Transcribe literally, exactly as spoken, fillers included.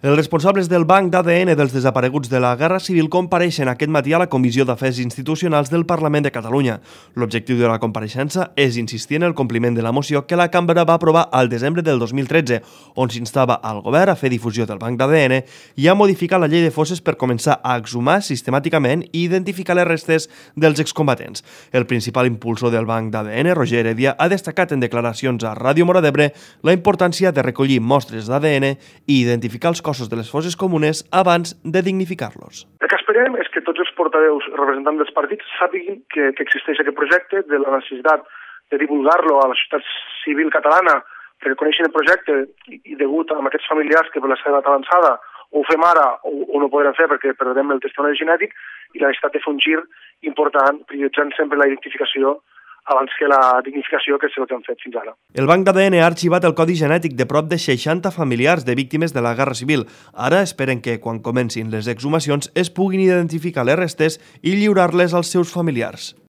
Els responsables del Banc d'A D N dels desapareguts de la Guerra Civil compareixen aquest matí a la Comissió d'Afers Institucionals del Parlament de Catalunya. L'objectiu de la compareixença és insistir en el compliment de la moció que la Cambra va aprovar al desembre del dos mil tretze, on s'instava al govern a fer difusió del Banc d'A D N i a modificar la llei de fosses per començar a exhumar sistemàticament i identificar les restes dels excombatents. El principal impulsor del Banc d'A D N, Roger Heredia, ha destacat en declaracions a Ràdio Móra d'Ebre la importància de recollir mostres d'A D N i identificar els cossos de les fosses comunes abans de dignificar-los. El que esperem és que tots els portaveus representants dels partits sàpiguen que, que existeix aquest projecte, de la necessitat de divulgar-lo a la societat civil catalana, perquè coneixen el projecte i, i degut a aquests familiars que per la seva edat avançada ho fem ara o, o no podrem fer perquè perdem el testimoni genètic, i la necessitat de fer un gir important, prioritzant sempre la identificació abans que la dignificació, que és el que han fet fins ara. El Banc d'A D N ha arxivat el codi genètic de prop de seixanta familiars de víctimes de la Guerra Civil. Ara esperen que, quan comencin les exhumacions, es puguin identificar les restes i lliurar-les als seus familiars.